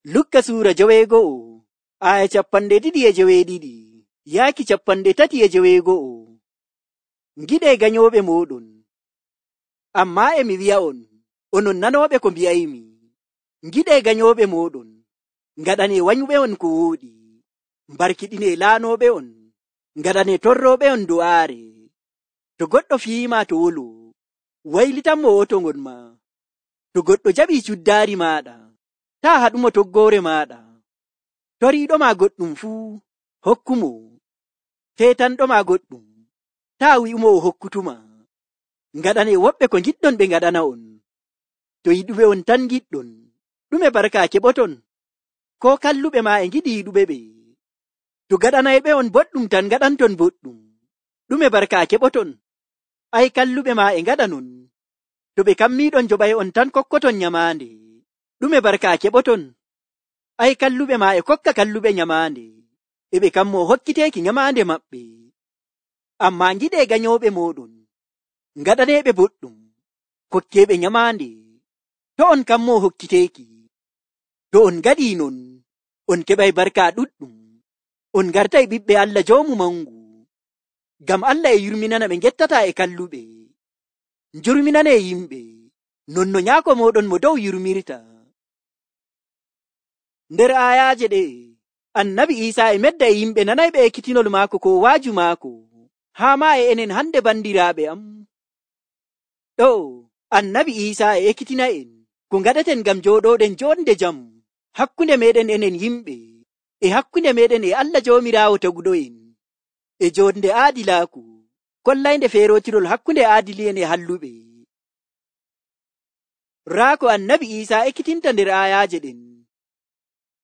Lukka suura 9 aya 212 yaaki 312. Ngiɗee ganyooɓe mooɗon. Ammaa e mi wi'a'on, onon nanooɓe ko mbi'aymi. Ngiɗee ganyooɓe mooɗon, ngaɗanee wanyuɓe'on ko wooɗi, mbarkiɗinee laanooɓe'on, ngaɗanee torrooɓe'on do'aare. To goɗɗo fiyiima to wolo, waylitanmo wotongon ma. To goɗɗo jaɓii cuddaari maaɗa, taa haɗumo toggoore maaɗa. Toriiɗoma goɗɗum fuu, hokkumo. Teetanɗoma goɗɗum, taa wi'umo o hokkutuma. Ngaɗanee woɓɓe ko ngiɗɗon ɓe ngaɗana'on. To yiɗuɓe on tan ngiɗɗon, ɗume barka keɓoton? Koo kalluɓe maa e ngiɗi yiɗuɓe ɓe. To gaɗanayɓe'on boɗɗum tan ngaɗanton boɗɗum, ɗume barka keɓoton? Ay kalluɓe maa e ngaɗanon. To ɓe kammiiɗon joɓay'on tan kokkoton nyamaande, ɗume barka keɓoton? Ay kalluɓe maa e kokka kalluɓe nyamaande, e ɓe kammoo hokkiteeki nyamaande maɓɓe. Ammaa ngiɗee ganyooɓe mooɗon, ngaɗaneeɓe boɗɗum, kokkeeɓe nyamaande, to on kammoo hokkiteeki. To on ngaɗii non, on keɓay barka ɗuɗɗum, on ngartay ɓiɓɓe Allah Joomu Mangu. Ngam Allah e yurminana ɓe ngettataa e kalluɓe. Njurminanee yimɓe, non no nyaako mooɗon mo dow yurmirta. Nder aayaaje ɗe, Annabi Iisaa e medda e yimɓe nanayɓe ekkitinol maako ko waaju maako, haa maa e enen hande bandiraaɓe am. Ɗo, Annabi Iisaa e ekkitina'en ko ngaɗeten ngam jooɗooɗen joonde jam hakkunde meeɗen enen yimɓe, e hakkunde meeɗen e Allah Joomiraawo taguɗo'en, e joonde aadilaaku, kollaynde feerootirol hakkunde aadili'en e halluɓe. Raa ko Annabi Iisaa ekkitinta nder aayaaje ɗen.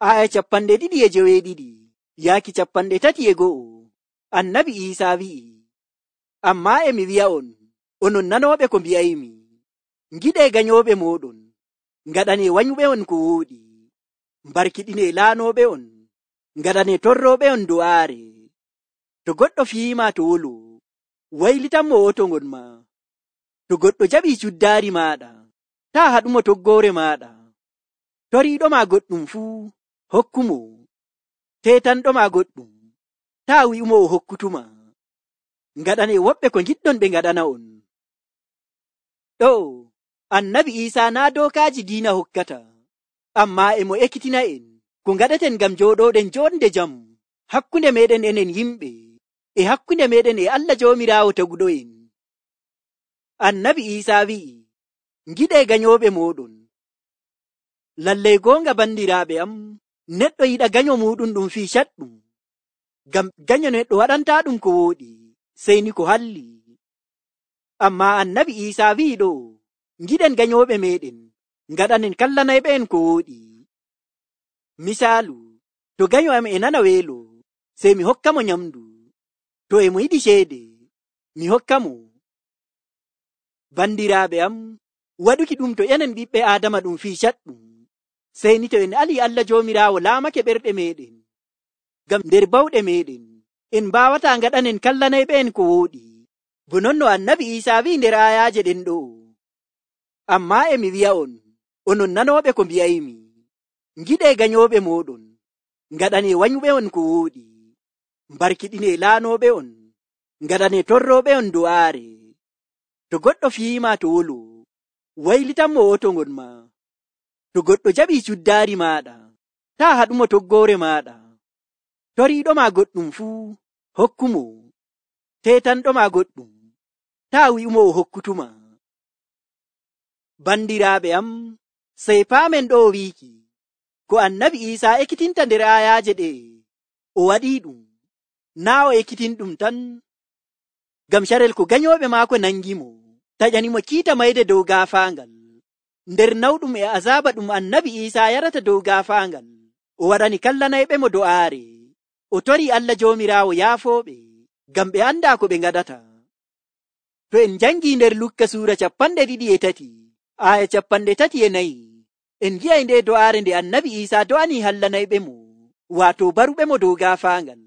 Aya 292 yaaki 301. Annabi Iisaa wi'i, ammaa e mi wi'a'on, onon nanooɓe ko mbi'aymi. Ngiɗee ganyooɓe mooɗon, ngaɗanee wanyuɓe'on ko wooɗi, mbarkiɗinee laanooɓe'on, ngaɗanee torrooɓe'on do'aare. To goɗɗo fiyiima to wolo, waylitanmo wotongon ma. To goɗɗo jaɓii cuddaari maaɗa, taa haɗumo toggoore maaɗa. Toriiɗoma goɗɗum fuu, hokkumo. Teetanɗoma goɗɗum, taa wi'umo o hokkutuma. Ngaɗanee woɓɓe ko ngiɗɗon ɓe ngaɗana'on. Ɗo, Annabi Iisaa naa dookaaji diina hokkata, ammaa e mo ekkitina'en ko ngaɗeten ngam jooɗooɗen joonde jam hakkunde meeɗen enen yimɓe, e hakkunde meeɗen e Allah Joomiraawo taguɗo'en. Annabi Iisaa wi'i, ngiɗee ganyooɓe mooɗon. Lallay goonga bandiraaɓe am, neɗɗo yiɗa ganyo muuɗum ɗum fii caɗɗum, ngam ganyo neɗɗo waɗantaa ɗum ko wooɗi, sey ni ko halli. Ammaa Annabi Iisaa wi'i ɗo, ngiɗen ganyooɓe meeɗen, ngaɗanen kallanayɓe'en ko wooɗi. Misaalu, to ganyo am e nana weelo, sey mi hokka mo nyamdu. To e mo yiɗi ceede, mi hokka mo. Bandiraaɓe am, waɗuki ɗum to enen ɓiɓɓe Aadama ɗum fii caɗɗum, sey ni to en alii Allah Joomiraawo laamake ɓerɗe meeɗen. Ngam nder bawɗe meeɗen, en mbaawataa ngaɗanen kallanayɓe'en ko wooɗi, bo non no Annabi Iisaa wi'i nder aayaaje ɗen ɗo. Ammaa e mi wi'a'on, onon nanooɓe ko mbi'aymi. Ngiɗee ganyooɓe mooɗon, ngaɗanee wanyuɓe'on ko wooɗi, mbarkiɗinee laanooɓe'on, ngaɗanee torrooɓe'on do'aare. To goɗɗo fiyiima to wolo, waylitanmo wotongon ma. To goɗɗo jaɓii cuddaari maaɗa, taa haɗumo toggoore maaɗa. Toriiɗoma goɗɗum fuu, hokkumo. Teetanɗoma goɗɗum, taa wi'umo o hokkutuma. Bandiraaɓe am, sey paamen ɗo wiiki, ko Annabi Iisaa ekkitinta nder aayaaje ɗe, o waɗii ɗum, naa o ekkitin ɗum tan. Ngam carel ko ganyooɓe maako nangimo, taƴanimo kiita mayde dow gaafaangal. Nder nawɗum e azaaba ɗum Annabi Iisaa yarata dow gaafaangal, o waɗani kallanayɓe mo do'aare. O torii Allah Joomiraawo yaafooɓe, ngam ɓe andaa ko ɓe ngaɗata. To en njangii nder Lukka suura 23 aya 34, en ngi'ay nde do'aare nde Annabi Iisaa do'anii hallanayɓe mo, waato baruɓe mo dow gaafaangal.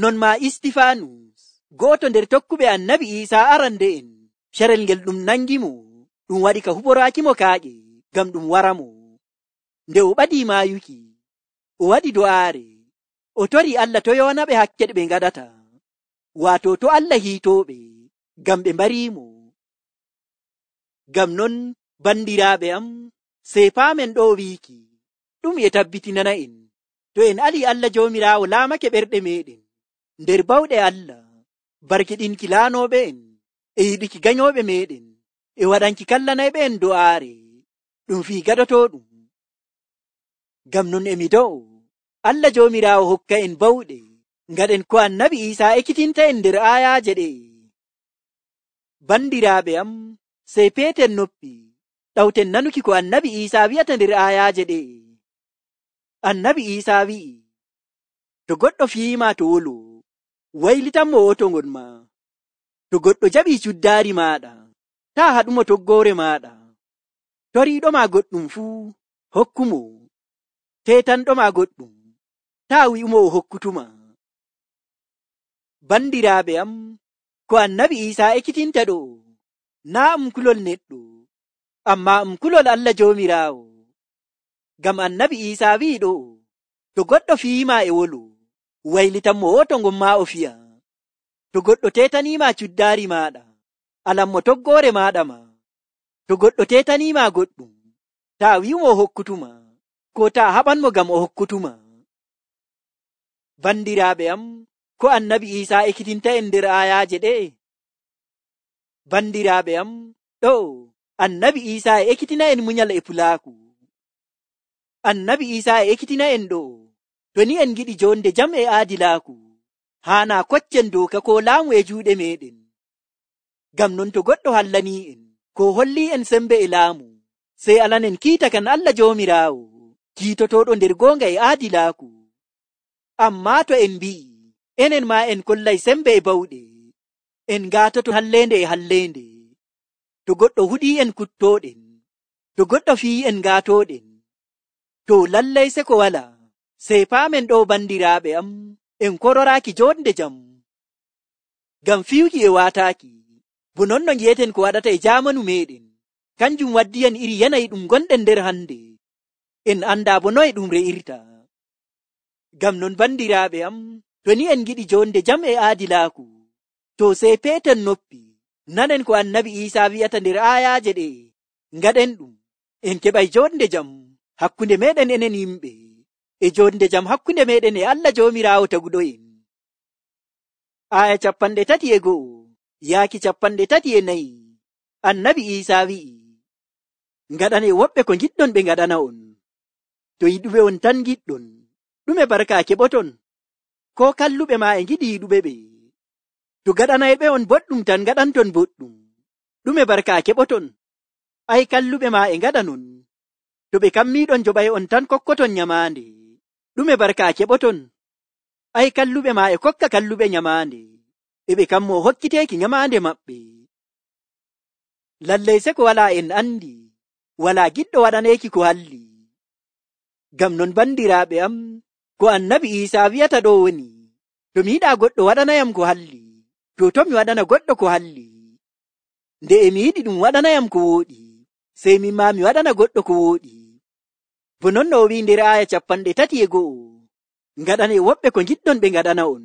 Non maa Istifaanus, gooto nder tokkuɓe Annabi Iisaa arande'en, carel ngel ɗum nangimo, ɗum waɗi ka huɓoraakimo kaaƴe, ngam ɗum wara mo. nde o ɓadii maayuki, o waɗi do'aare, o tori Allah to yoonaɓe hakke ɗe ɓe ngaɗata, waato to Allah hiitooɓe ngam ɓe mbariimo. Ngam non bandiraaɓe am, sey paamen ɗo wiiki ɗum e tabbitinana en to en alii Allah Joomiraawo laamake ɓerɗe meɗen nder bawɗe Allah, barkiɗinki laanooɓe en e yiɗiki ganyooɓe meɗen e waɗanki kallanayɓe en do'aare ɗum fii gaɗotooɗum. Ngam non emi do'o Allah Joomiraawo hokka en bawɗe ngaɗen ko Annabi Iisaa ekkitinta en nder aayaaje ɗe. Bandiraaɓe am, sey peeten noppi ɗawten nanuki ko Annabi Iisaa wi'ata nder aayaaje ɗe. Annabi Iisaa wi'i, to goɗɗo fiyiima to wolo, waylitanmo woto ngon ma. To goɗɗo jaɓii cuddaari maaɗa, taa haɗumo toggoore maaɗa. Toriiɗoma goɗɗum fuu, hokkumo. Teetanɗoma goɗɗum, taa wi'umo o hokkutuma. Bandiraaɓe am, ko Annabi Iisaa ekkitinta ɗo, naa kulol neɗɗo, ammaa kulol Allah Joomiraawo. Ngam Annabi Iisaa wi'i ɗo, to goɗɗo fiyiima e wolo, waylitanmo woto ngon ma o fiya. To goɗɗo teetaniima cuddaari maaɗa, alanmo toggoore maaɗa ma. To goɗɗo teetaniima goɗɗum, taa wi'umo o hokkutuma, ko taa haɓanmo ngam o hokkutuma. Bandiraaɓe am, ko Annabi Iisaa ekkitinta en nder aayaaje ɗe. Bandiraaɓe am, ɗo Annabi Iisaa e ekkitina en munyal e pulaaku. Annabi Iisaa e ekkitina en ɗo, to ni en giɗi jonde jam e aadilaaku, haanaa koccen dooka ko laamu e juuɗe meɗen. Ngam non to goɗɗo hallanii en, ko hollii en sembe e laamu, sey alanen kiita kan Allah Joomiraawo, kiitotooɗo nder goonga e aadilaaku. Ammaa to en mbi'i, enen maa en kollay sembe e bawɗe, en ngaatoto halleende e halleende. To goɗɗo huɗii en kuttooɗen, to goɗɗo fiyi en ngaatooɗen, to lallay se ko walaa, sey paamen ɗo bandiraaɓe am, en kororaaki jonde jam. Ngam fiyuki e waataaki, bo non no ngi'eten ko waɗata e jaamanu meɗen, kanjum waddiyen iri yanayi ɗum gonɗen nder hande. En andaa bo noye ɗum re'irta. Ngam non bandiraaɓe am, to ni en giɗi jonde jam e aadilaaku, to sey peeten noppi nanen ko Annabi Iisaa wi'ata nder aayaaje ɗe, ngaɗen ɗum, en keɓay jonde jam hakkunde meɗen enen yimɓe, e jonde jam hakkunde meɗen e Allah Joomiraawo taguɗo'en. Aaya 31 yaaki 34. Annabi Iisaa wi'i, ngaɗane woɓɓe ko ngiɗɗon ɓe ngaɗana on. To yiɗuɓe on tan giɗɗon, ɗume barka keɓoton? Ko kalluɓe maa e ngiɗi yiɗuɓe ɓe? To gaɗanayɓe on boɗɗum tan ngaɗanton boɗɗum, ɗume barka keɓoton? Ai kalluɓe maa e ngaɗa non. To ɓe kammiiɗon joɓay on tan kokkoton nyamaande, ɗume barka keɓoton? Ai kalluɓe maa e kokka kalluɓe nyamaande, e ɓe kammo hokkiteeki nyamaande maɓɓe. Lallay se ko walaa en andi, walaa giɗɗo waɗaneeki ko halli. Ngam non bandiraaɓe am, ko Annabi Iisaa wi'ata ɗo woni, to mi yiɗaa goɗɗo waɗanayam ko halli, to mi waɗana goɗɗo ko halli. Nde e mi yiɗi ɗum waɗanayam ko wooɗi, sey min maa mi waɗana goɗɗo ko wooɗi. Bo non no o wi'i nder aaya 31, ngaɗane woɓɓe ko ngiɗɗon ɓe ngaɗana on.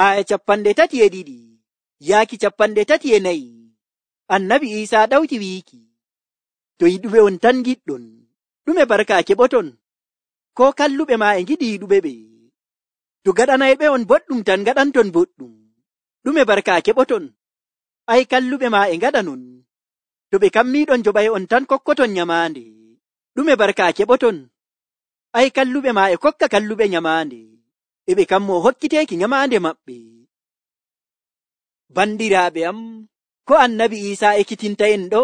Aaya 32 yaaki 34. Annabi Iisaa ɗawti wiiki, to yiɗuɓe on tan giɗɗon, ɗume barka keɓoton? Ko kalluɓe maa e ngiɗi yiɗuɓe ɓe? To gaɗanayɓe on boɗɗum tan gaɗanton boɗɗum, ɗume barka keɓoton? Ai kalluɓe maa e ngaɗa non. To ɓe kammiiɗon joɓay on tan kokkoton nyamaande, ɗume barka keɓoton? Ai kalluɓe maa e kokka kalluɓe nyamaande, e ɓe kammo hokkiteeki nyamaande maɓɓe. Bandiraaɓe am, ko Annabi Iisaa ekkitinta en ɗo?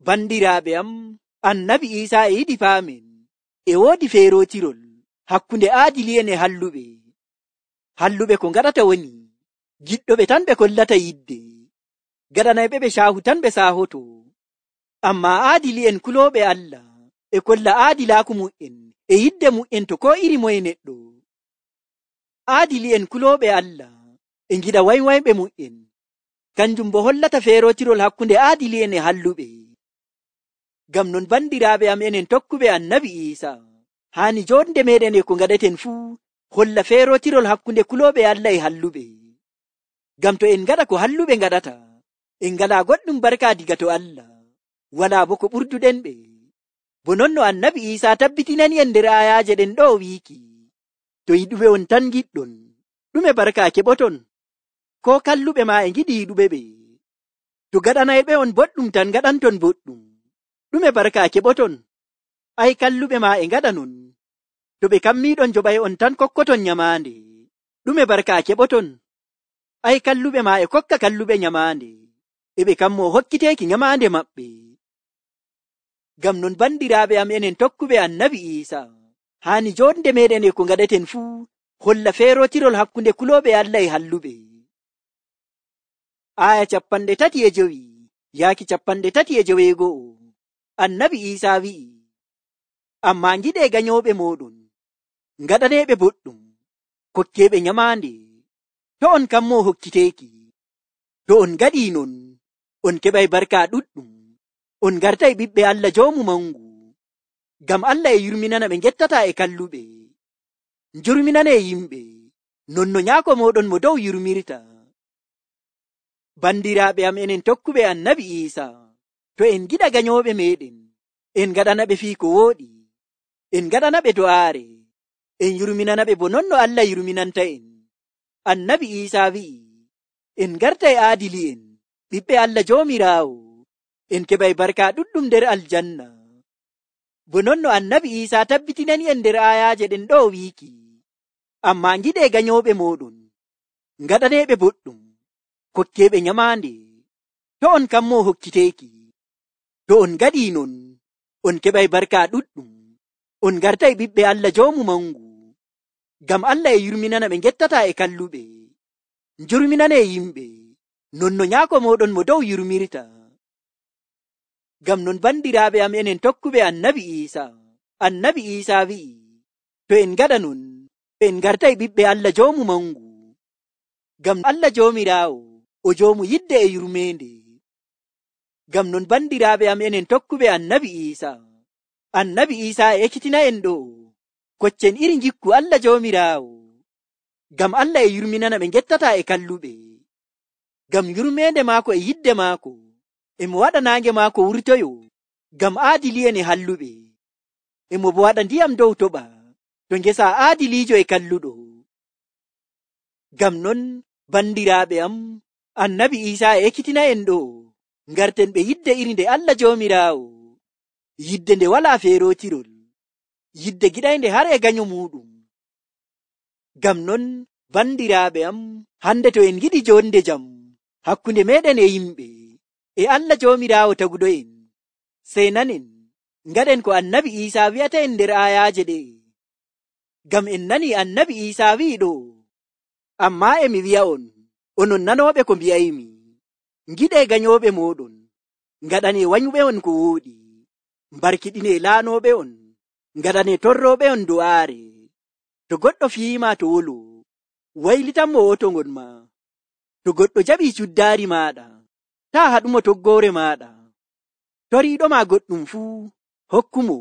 Bandiraaɓe am, Annabi Iisaa e yiɗi paamen, e woodi feerootirol hakkunde aadili'en e halluɓe. Halluɓe ko ngaɗata woni, giɗɗoɓe tan ɓe kollata yidde, gaɗanayɓe ɓe caahu tan ɓe saahoto. Ammaa aadili'en kulooɓe Allah e kolla aadilaaku mu'en e yidde mu'en to ko iri moye neɗɗo. Aadili'en kulooɓe Allah e ngiɗa waywayɓe mu'en, kanjum bo hollata feerootirol hakkunde aadili'en e halluɓe. Ngam non bandiraaɓe am enen tokkuɓe Annabi Iisa, haani jonde meɗen e ko ngaɗeten fuu holla feerotirol hakkunde kulooɓe Allah e halluɓe. Ngam to en ngaɗa ko halluɓe ngaɗata, en ngalaa goɗɗum barka diga to Allah, walaa bo ko ɓurduɗen ɓe. Bo non no Annabi Iisa tabbitinani en nder ayaaje ɗen ɗo wiiki, to yiɗuɓe on tan giɗɗon, ɗume barka keɓoton? Ko kalluɓe maa e ngiɗi yiɗuɓe ɓe? To gaɗanayɓe on boɗɗum tan gaɗanton boɗɗum, ɗume barka keɓoton? Ai kalluɓe maa e ngaɗa non. To ɓe kammiiɗon joɓay on tan kokkoton nyamaande, ɗume barka keɓoton? Ai kalluɓe maa e kokka kalluɓe nyamaande, e ɓe kammoo hokkiteeki nyamaande maɓɓe. Ngam non bandiraaɓe am enen tokkuɓe Annabi Iisa, haani jonde meɗen e ko ngaɗeten fuu holla feerotirol hakkunde kulooɓe Allah e halluɓe. Aya 35 yaaki 37. Annabi Iisa wi'i, ammaa ngiɗee ganyooɓe mooɗon, ngaɗaneeɓe boɗɗum, kokkeeɓe nyamaande, to on kammoo hokkiteeki. To on ngaɗii non, on keɓay barka ɗuɗɗum, on ngartay ɓiɓɓe Allah Joomu Mangu. Ngam Allah e yurminana ɓe ngettataa e kalluɓe. Njurminanee yimɓe, non no nyaako mooɗon mo dow yurmirta. Bandiraaɓe am enen tokkuɓe Annabi Iisa, to en giɗa ganyooɓe meɗen, en ngaɗana ɓe fii ko wooɗi, en ngaɗana ɓe do'aare, en yurminana ɓe bo non no Allah yurminanta en. Annabi Iisa wi'i, en ngartay aadili'en, ɓiɓɓe Allah Joomiraawo, en keɓay barka ɗuɗɗum nder aljanna. Bo non no Annabi Iisa tabbitinani en nder ayaaje ɗen ɗo wiiki, ammaa ngiɗee ganyooɓe mooɗon, ngaɗaneeɓe boɗɗum, kokkeeɓe nyamaande, to on kammoo hokkiteeki. To on ngaɗii non, on keɓay barka ɗuɗɗum, on ngartay ɓiɓɓe Allah Joomu Mangu. Ngam Allah e yurminana ɓe ngettataa e kalluɓe. Njurminanee yimɓe, non no nyaako mooɗon mo dow yurmirta. Ngam non bandiraaɓe am enen tokkuɓe Annabi Iisa, Annabi Iisa wi'i, to en ngaɗa non, en ngartay ɓiɓɓe Allah Joomu Mangu. Ngam Allah Joomiraawo, o Joomu yidde e yurmeende. Ngam non bandiraaɓe am enen tokkuɓe Annabi Iisa, Annabi Iisa e ekkitina en ɗo, koccen iri njikku Allah Joomiraawo. Ngam Allah e yurminana ɓe ngettataa e kalluɓe. Ngam yurmeende maako e yidde maako, emo waɗa naange maako wurtoyo, ngam aadili'en e halluɓe. Emo bo waɗa ndiyam dow toɓa, to ngesa aadiliijo e kalluɗo. Ngam non bandiraaɓe am, Annabi Iisa e ekkitina en ɗo, ngarten ɓe yidde iri nde Allah Joomiraawo, yidde nde walaa feerotirol, yidde giɗaynde har e ganyo muuɗum. Ngam non bandiraaɓe am, hande to en giɗi jonde jam hakkunde meɗen e yimɓe, e Allah Joomiraawo taguɗo en, sey nanen ngaɗen ko Annabi Iisa wi'ata en nder ayaaje ɗe. Ngam en nani Annabi Iisa wi'i ɗo, ammaa emi wi'a on, onon nanooɓe ko mbi'aymi, ngiɗee ganyooɓe mooɗon, ngaɗanee wanyuɓe on ko wooɗi, mbarkiɗinee laanooɓe on, ngaɗanee torrooɓe on do'aare. To goɗɗo fiima to wolo, waylitanmo wotongon ma. To goɗɗo jaɓii cuddaari maaɗa, taa haɗumo toggoore maaɗa. Toriiɗoma goɗɗum fuu, hokkumo.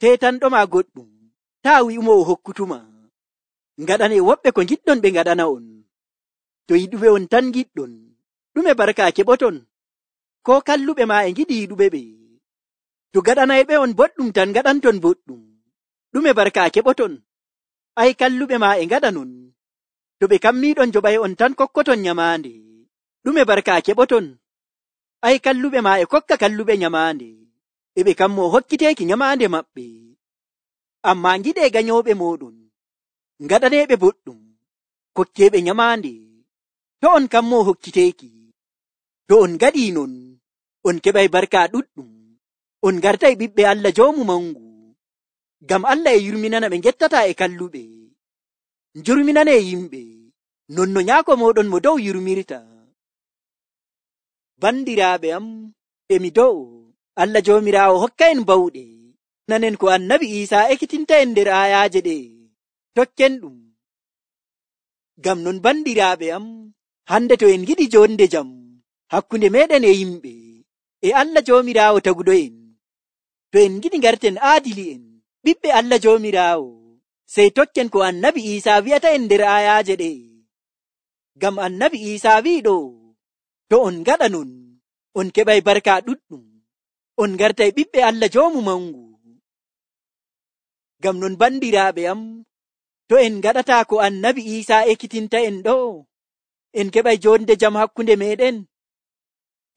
Teetanɗoma goɗɗum, taa wi'umo o hokkutuma. Ngaɗanee woɓɓe ko ngiɗɗon ɓe ngaɗana on. To yiɗuɓe on tan giɗɗon, ɗume barka keɓoton? Ko kalluɓe maa e ngiɗi yiɗuɓe ɓe? To gaɗanayɓe on boɗɗum tan gaɗanton boɗɗum, ɗume barka keɓoton? Ai kalluɓe maa e ngaɗa non. To ɓe kammiiɗon joɓay on tan kokkoton nyamaande, ɗume barka keɓoton? Ai kalluɓe maa e kokka kalluɓe nyamaande, e ɓe kammoo hokkiteeki nyamaande maɓɓe. Ammaa ngiɗee ganyooɓe mooɗon, ngaɗaneeɓe boɗɗum, kokkeeɓe nyamaande, to on kammoo hokkiteeki. To on ngaɗii non, on keɓay barka ɗuɗɗum, on ngartay ɓiɓɓe Allah Joomu Mangu. Ngam Allah e yurminana ɓe ngettataa e kalluɓe. Njurminanee yimɓe, non no nyaako mooɗon mo dow yurmirta. Bandiraaɓe am, emi do'o, Allah Joomiraawo hokka en bawɗe, nanen ko Annabi Iisa ekkitinta en nder ayaaje ɗe, tokken ɗum. Ngam non bandiraaɓe am, hande to en giɗi jonde jam hakkunde meɗen e yimɓe, e Allah Joomiraawo taguɗo en, To en giɗi ngarten aadili'en ɓiɓɓe Allah Joomiraawo, sey tokken ko Annabi Iisaa wi'ata en nder ayaaje ɗe. Ngam Annabi Iisaa wi'iɗo, to on ngaɗa non, on keɓay barka ɗuɗɗum, on ngartay ɓiɓɓe Allah Joomu Mangu. Ngam non bandiraaɓe am, to en ngaɗataa ko Annabi Iisaa ekkitinta en ɗo, en keɓay jonde jam hakkunde meɗen,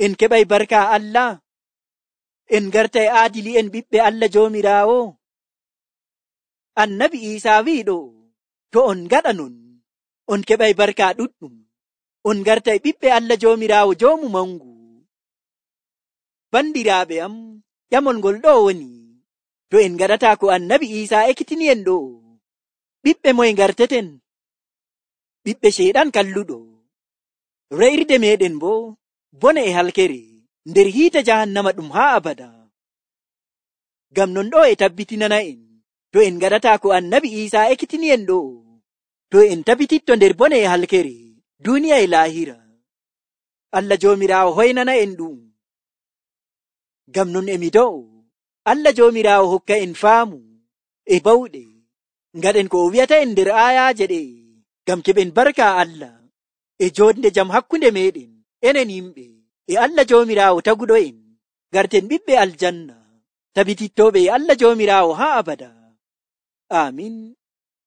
en keɓay barka Allah, en ngartay aadili'en ɓiɓɓe Allah Joomiraawo. Annabi Iisaa wi'iɗo, to on ngaɗa non, on keɓay barka ɗuɗɗum, on ngartay ɓiɓɓe Allah Joomiraawo Joomu Mangu. Bandiraaɓe am, ƴamol ngol ɗo woni, to en ngaɗataa ko Annabi Iisaa ekkitini en ɗo, ɓiɓɓe moye ngarteten? Ɓiɓɓe Ceyɗan kalluɗo. Re'irde meɗen bo bone e halkere nder hiite jahannama ɗum haa abada. Ngam non ɗo e tabbitinana en, to en ngaɗataa ko Annabi Iisaa ekkitini en ɗo, to en tabbititto nder bone e halkere duniya e laahira. Allah Joomiraawo hoynana en ɗum. Ngam non emi do'o Allah Joomiraawo hokka en faamu e bawɗe ngaɗen ko o wi'ata en nder ayaaje ɗe, ngam keɓen barka Allah e jonde jam hakkunde meɗen enen yimɓe e Allah Joomiraawo taguɗo en, garten ɓiɓɓe aljanna, tabitittoɓe e Allah Joomiraawo haa abada. Amin.